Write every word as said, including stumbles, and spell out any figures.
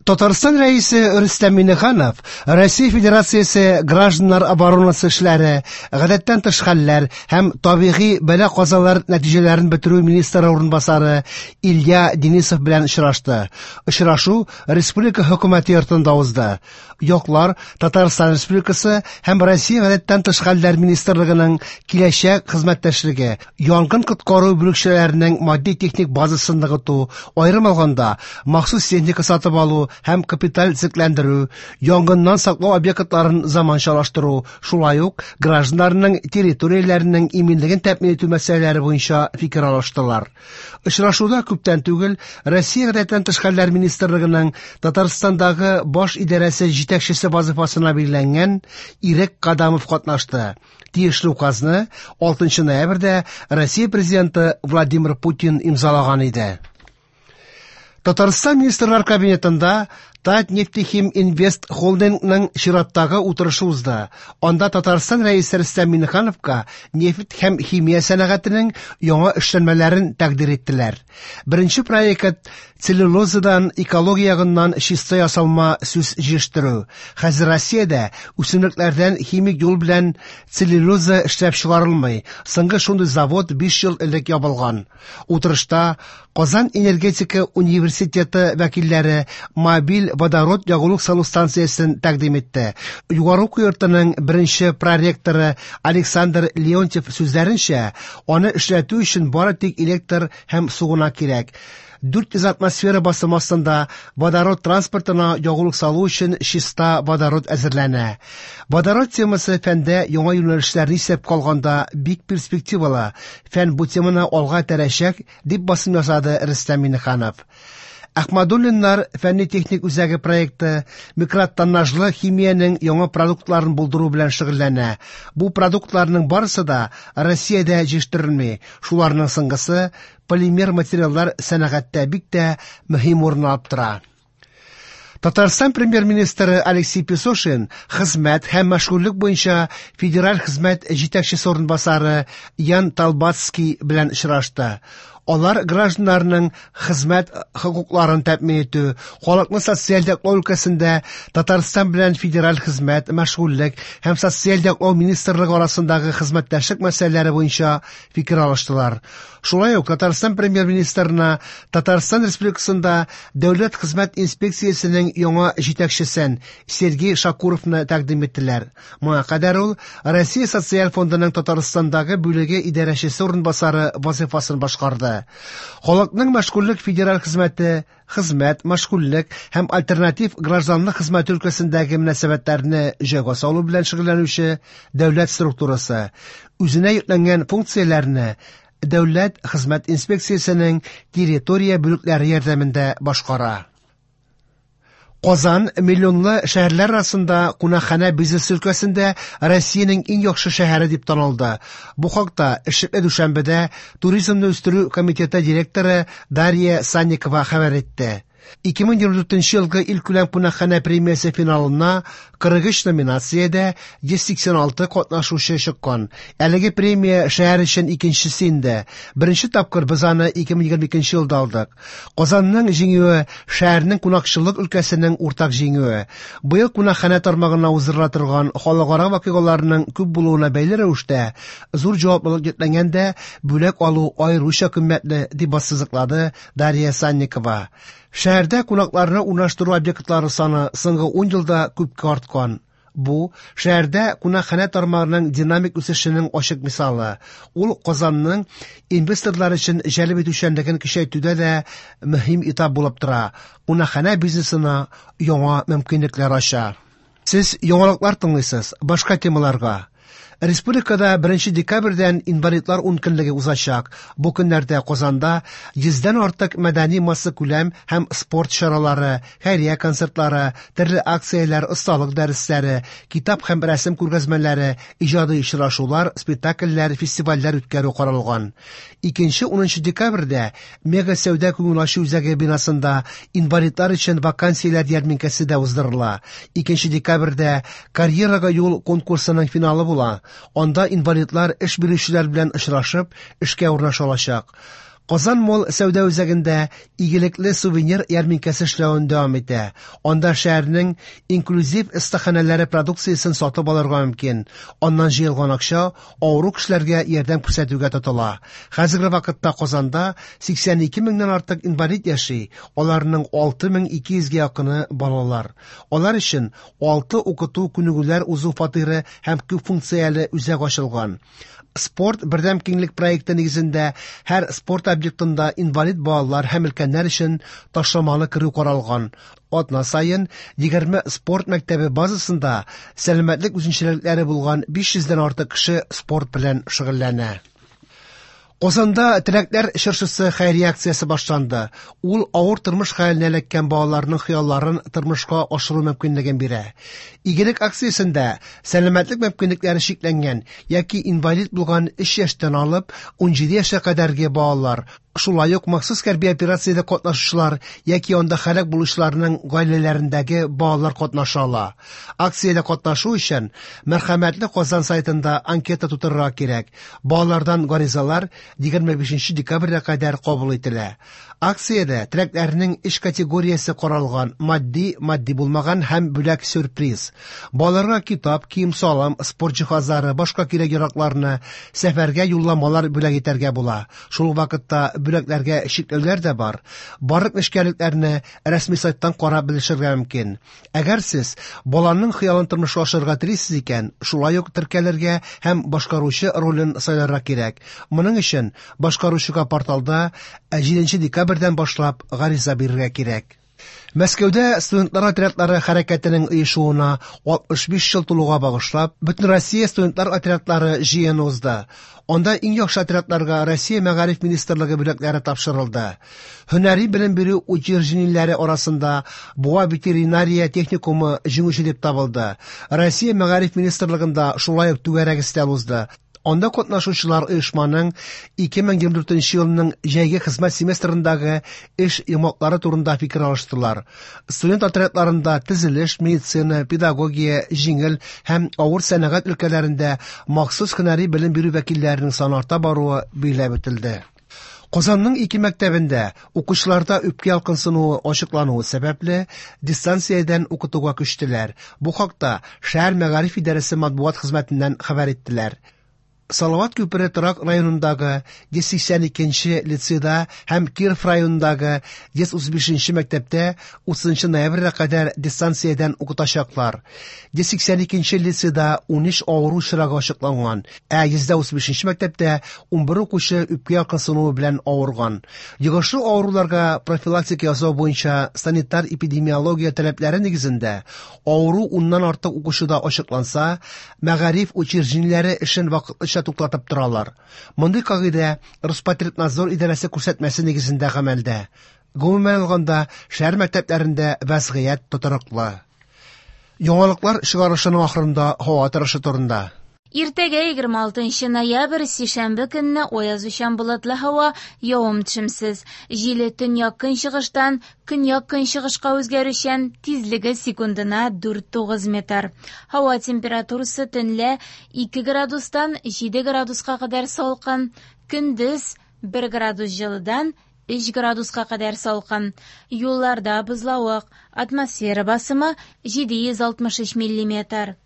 Татарстан Рәисе Рөстәм Миңнеханов Россия Федерациясе гражданнар оборонасы эшләре, гадәттән тыш хәлләр һәм табигый бәла-казалар нәтиҗәләрен бетерү министры урынбасары Илья Денисов белән очрашты. Очрашу Республика хөкүмәте йортында узды. Яклар Татарстан Республикасы һәм Россия гадәттән тыш хәлләр министрлыгының киләчәк хезмәттәшлеге, янгын коткару бүлекчәләренең матди-техник базасын ныгыту, аерым алганда, махсус техника сатып алу һәм капиталь төзекләндерү, янгыннан саклау объектларын заманчалаштыру, шулай ук гражданнарның территорияләренең иминлеген тәэмин итү мәсьәләләре буенча фикер алыштылар. Очрашуда күптән түгел Россия гадәттән тыш хәлләр министрлыгының Татарстандагы баш идарәсе җитәкчесе вазифасына билгеләнгән Ирек Кадамов катнашты. Тиешле указны алтынчы ноябрьдә Россия президенты Владимир Путин имзалаган иде. Татарстан Министрлар Кабинетында Татнефтехим Инвест холдингның чираттагы утырышы узды. Анда Татарстан Рәисе Рөстәм Миңнехановка нефть һәм химия сәнәгатенең яңа эшләнмәләрен тәкъдир иттеләр. Беренче проект целлюлозадан экология ягыннан чиста ясалма сүс җитештерү. Хәзер Россиядә үсемлекләрдән химик юл белән целлюлоза эшләп чыгарылмый. Соңгы шундый завод биш ел элек ябылган. Утырышта Казан энергетика университеты вәкилләре мобиль водород ягулык салу станциясен тәкъдим итте. Югары уку йортының беренче проректоры Александр Леонтьев сүзләренчә, аны эшләтү өчен бары тик электр һәм су гына кирәк. дүрт йөз атмосфера басымы астында водород транспортына ягулык салу өчен чиста водород әзерләнә. Водород темасы фәндә яңа юнәлешләрне исәпкә алганда бик перспективалы. Фән бу теманы алга этәрәчәк, дип басым ясады Рөстәм Миңнеханов. Ахмадуллиннар фәнни-техник үзәге проекты микротоннажлы химиянең яңа продуктларын булдыру белән шөгыльләнә. Бу продуктларның барысы да Россиядә җитештерелми. Шуларның соңгысы полимер материаллар сәнәгатьтә бик тә мөһим урын алып тора. Татарстан премьер-министры Алексей Песошин хезмәт һәм мәшгульлек буенча федераль хезмәт җитәкчесе урынбасары Ян Талбацкий белән очрашты. Алар гражданнарның хезмәт хокукларын тәэмин итү, халыкны социаль яклау өлкәсендә Татарстан белән федераль хезмәт, мәшгульлек һәм социаль яклау министрлыгы арасындагы хезмәттәшлек мәсьәләләре буенча фикер алыштылар. Шулай ук Татарстан премьер-министрына Татарстан Республикасында Дәүләт хезмәт инспекциясенең яңа җитәкчесен Сергей Шакуровны тәкъдим иттеләр. Моңа кадәр ул Россия Социаль фондының Татарстандагы бүлеге идарәчесе урынбасары вазифасын башкарды. Халыкның мәшгульлек федераль хезмәте, хезмәт, мәшгульлек һәм альтернатив гражданлык хезмәте өлкәсендәге мөнәсәбәтләрне җайга салу белән шөгыльләнүче дәүләт структурасы үзенә йөкләнгән функцияләрне Дәүләт хезмәт инспекциясенең территория бүлекләре ярдәмендә башкара. Казан миллионлы шәһәрләр арасында кунакханә бизнесы өлкәсендә Россиянең иң яхшы шәһәре дип танылды. Бу хакта эшлекле дүшәмбедә Туризмны үстерү комитеты директоры Дарья Санникова хәбәр итте. Ике мең егерме дүртенче елгы илкүләм кунакханә премиясе финалына кырык өч номинациядә йөз сиксән алты катнашучы чыккан. Әлеге премия шәһәр өчен икенчесе инде. Беренче тапкыр без аны ике мең егерме икенче елда алдык. Казанның җиңүе шәһәрнең кунакчыллык өлкәсенең уртак җиңүе. Быел кунакханә тармагына уздырыла торган халыкара вакыйгаларның күп булуына бәйле рәвештә зур җаваплылык йөкләнгәндә бүләк алу аеруча кыйммәтле, дип ассызыклады Дарья Санникова. Шәһәрдә кунакларны урнаштыру объектлары саны соңгы ун елда күпкә арткан. Бу шәһәрдә кунакханә тармагының динамик үсешенең ачык мисалы. Ул Казанның инвесторлар өчен җәлеп итүчәнлеген көчәйтүдә дә мөһим этап булып тора. Кунакханә бизнесына яңа мөмкинлекләр ача. Сез яңалыклар тыңлыйсыз, башка темаларга. Республикада беренче декабрьдән инвалидлар ункөнлеге узачак. Бу көннәрдә Казанда йөздән артык мәдәни массакүләм һәм спорт чаралары, хәйрия концертлары, төрле акцияләр, осталык дәресләре, китап һәм рәсем күргәзмәләре, иҗади очрашулар, спектакльләр, фестивальләр үткәрү каралган. Икенче унынчы декабрьдә Мега сәүдә күңел ачу үзәге бинасында инвалидлар өчен вакансияләр ярминкәсе дә уздырыла. Икенче декабрьдә карьерага юл конкурсының финалы була. Анда инвалидлар эш бирүчеләр белән очрашып, эшкә урнаша алачак. Казан Молл сәүдә үзәгендә игелекле сувенир ярминкәсе эшләвен дәвам итә. Анда шәһәрнең инклюзив остаханәләре продукциясен сатып алырга мөмкин. Аннан җыелган акча авыру кешеләргә ярдәм күрсәтүгә тотыла. Хәзерге вакытта Казанда сиксән ике меңнән артык инвалид яши, аларның алты мең ике йөзгә якыны балалар. Алар өчен алты укыту күнегүләр узу фатиры һәм күп функцияле үзәк ачылган. Спорт бердәм киңлек проекты нигезендә һәр спорт объектында инвалид балалар һәм өлкәннәр өчен ташламалы керү каралган. Атна саен егерме спорт мәктәбе базасында сәламәтлек үзенчәлекләре булган биш йөздән артык кеше спорт белән шөгыльләнә. Казанда Теләкләр чыршысы хәйрия акциясе башланды. Ул авыр тормыш хәленә эләккән балаларның хыялларын тормышка ашыру мөмкинлеген бирә. Игелек акциясендә сәламәтлек мөмкинлекләре чикләнгән яки инвалид булган өч яшьтән алып ун җиде яшькә кадәрге балалар, шулай ук махсус хәрби операциядә катнашучылар яки анда һәлак булучыларның гаиләләрендәге балалар катнаша ала. Акциядә катнашу өчен Мәрхәмәтле Казан сайтында анкета тутырырга кирәк. Балалардан гаризалар егерме бишенче декабрьгә кадәр кабул ителә. Акциядә теләкләрнең өч категориясе каралган: матди, матди булмаган һәм бүләк сюрприз. Балаларга китап, кием-салым, спорт җиһазлары, башка кирәк-яракларны, сәфәргә юлламалар бүләк итәргә була. Шул ук вакытта бүләкләргә чикләүләр дә бар. Барлык нечкәлекләрне рәсми сайттан карап белешергә мөмкин. Әгәр сез баланың хыялын тормышка ашырырга телисез икән, шулай ук теркәлергә һәм башкаручы ролен сайларга кирәк. Моның өчен башкаручыга порталда җиденче декабрьдән башлап гариза бирергә кирәк. Мәскәүдә студентлар отрядлары хәрәкәтенең оешуына алтмыш биш ел тулуга багышлап, Бөтенроссия студентлар отрядлары җыены узды. Анда иң яхшы отрядларга Россия Мәгариф министрлыгы бүләкләре тапшырылды. Һөнәри белем бирү учреждениеләре арасында Буа ветеринария техникумы җиңүче дип табылды. Россия Мәгариф министрлыгында шулай ук түгәрәк өстәл узды. Анда катнашучылар оешманың ике мең егерме дүртенче елның җәйге хезмәт семестрындагы эш йомгаклары турында фикер алыштылар. Студент отрядларында төзелеш, медицина, педагогия, җиңел һәм авыр сәнәгать өлкәләрендә махсус һөнәри белем бирү вәкилләренең саны арта баруы билгеләп үтелде. Казанның ике мәктәбендә укучыларда үпкә ялкынсынуы ачыклануы сәбәпле дистанциядән укытуга күчтеләр. Бу хакта шәһәр мәгариф идарәсе матбугат хезмәтеннән хәбәр иттеләр. Салават күпере торак районындагы йөз сиксән икенче лицейда һәм Киров районындагы йөз утыз бишенче мәктәптә утызынчы ноябрьгә кадәр дистанциядән укытачаклар. Йөз сиксән икенче лицейда ун өч авыру очрагы ачыкланган, ә йөз утыз бишенче мәктәптә ун бер укучы үпкә ялкынсынуы белән авырган. Йогышлы авыруларга профилактика ясау буенча санитар эпидемиология таләпләре нигезендә авыру уннан артык укучыда ачыкланса, мәгариф учреждениеләре эшен вакытлыча туктатып торалар. Мондый кагыйдә Роспотребнадзор идарәсе күрсәтмәсе нигезендә гамәлдә. Гомумән алганда, шәһәр мәктәпләрендә вәзгыять тотрыклы. Яңалыклар чыгарылышының ахырында һава торышы турында. Иртәгә егерме алтынчы ноябрь, сишәмбе көнне аязучан болытлы һава, явым-төшемсез. Җиле төньяк көнчыгыштан көньяк көнчыгышка үзгәрүчән, тизлеге секундына дүрт тугыз метр. Һава температурасы төнлә ике градустан җиде градуска кадәр салкын, көндез бер градус җылыдан өч градуска кадәр салкын. Юлларда бозлавык, атмосфера басымы җиде йөз алтмыш өч миллиметр.